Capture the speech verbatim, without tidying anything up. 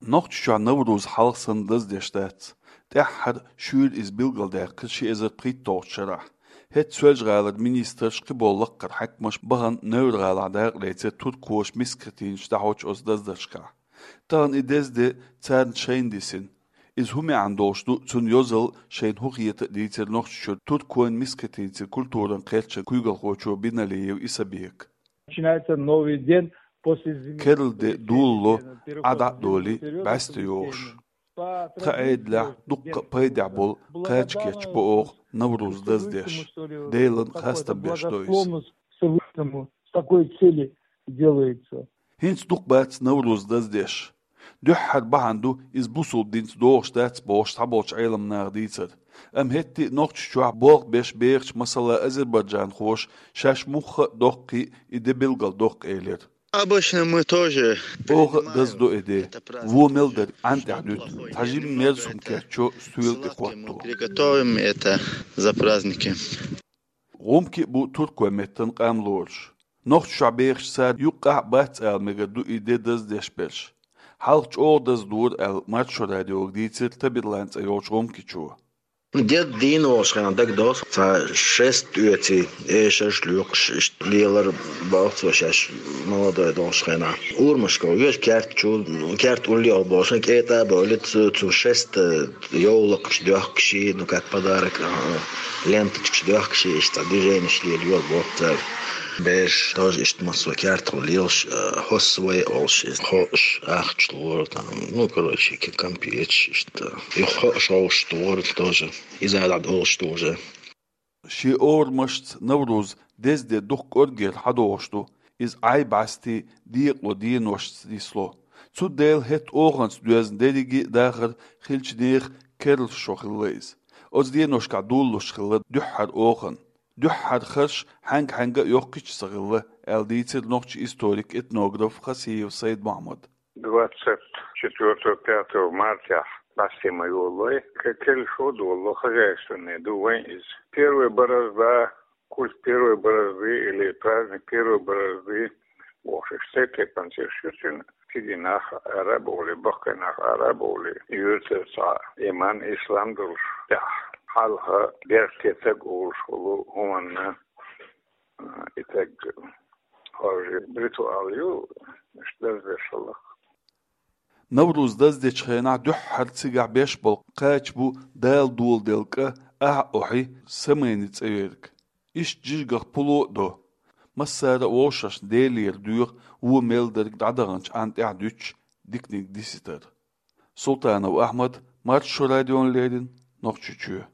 Нохчийчохь Навруз хьалха санна даздеш дац. ТӀаьххьара шуьйра иза билгалдаьккхира ши эзар пхийтталгӀачу шарахь. ХӀетахь Соьлжа-ГӀалара министраш, кхиболу лаккхара хьаькамаш бахана Невр-ГӀалахь дакъа лецира туркоша мискачу хӀетинчу дӀахьочу оцу даздаршкахь. Тахана и деза де царна шайна дисина. Иза хӀун маьӀна долуш ду, цуьнан йозалла шайна хӀун хета а дийцира Нохчийчуьра туркойн мискачу хӀетинцийн культуран кхерчан куьйгалхочо Биналиев Исабека. Начинается новый день после зимы. Керла де долало, Ӏа дӀа а долий, бӀаьсте йогӀуш. Тхан Ӏедалехь дуккха а пайдехь болу кхача кечбо оха Навруз даздеш. Делан хастам беш до иза. С такой цели делается. ХӀинца дукха бац Навруз даздеш. Дуьххьара бахьана ду иза бусулба динца догӀуш дац бохуш цхьаболчу Ӏеламнаха дийцар. Амма хӀетте а Нохчийчохь болх беш бехачу, масала, азербайджанхоша шаьш мухха а доккхий и де билгалдоккху элира. Обычно мы тоже... Оха а даздо и де. Вон мел дерг Ӏан тӀехь дуьту, цхьа жимма мерза хӀума кеччо стоьла тӀе хӀотто. Приготовим это за праздники. ГӀумкий а бу туркойн меттан къам лоруш. Нохчийчохь бехаш цара юккъехь а бац ала мегар ду и де даздеш берш. Хьалха чӀогӀа даздора аьлла, Маршо радиога дийцира Табирлан цӀе йолчу гӀумкичо. Дед дийна волуш хенахь дагадогӀу, цхьа шест оьций, эшарш лоькхуш, иштта лелар боху цо шаьш молодой долуш хенахь. Урамашка веша керта чу, керта уллехь болуш, кӀетӀа а бовлий, цу, цу шест йовлакхаш доьхкуш, ну, как подарок, а, ленточкаш доьхкуш, иштта движенеш лелайора боху цара. Бераш тоже иштта массо кертахула лелаш, а, хӀоссавай олуш иза. Хьоаш, ахча лора там, ну, короче, ки-, компеташ иштта. И хьоаш хьовш тора тоже. Иза дӀа долуш ду уже. Шен орамашца Навруз деза де дукха кӀоргера хьадогӀуш ду, иза Ӏай-бӀаьстий декъало деношца нисло. Цундела хӀетта оханца доьзна дерриге а дахар хиллачу нехан керла шо хилла иза. Оцу деношкахь долалуш хилла дуьххьара охана. Дуьххьара харш хьаьнга-хьаьнга а йоккхуьйтуш ца хилла, аьлла дийцира нохчийн историк, этнограф Хасиев Сайд-Мухьаммада. Двадцать четвёртого, пятого мартехь бӀаьсте ма йолалой, к-, керла шо а долало, хозяйственный ду вайн иза. Первая борозда, культ первой борозды или праздник первой борозды бохуш, иштта тайпана цӀераш ю цуьнан. Кегийнах ара а бовлий, баккхийнах ара а бовлий, юьртара цхьа иман, ислам долуш тӀехь, хьалха беркате стаг олуш волу хӀуманна, а, и стаг хьожий ритуал ю, иштта даздеш хилла. Навруз даздечу хенахь дуьххьара цигахь беш болу кхача бу Дала доладелла кӀа, ахьа охьи, самайни цӀе ерг. Иштта жижигах пуло а до. Массара а вовшашна Делера доьху вон мел дерг дӀадаханчу Ӏан тӀехь дуьтуш диканиг диситар. Султанов Ахьмад, Маршо радиона леррина, Нохчийчоь.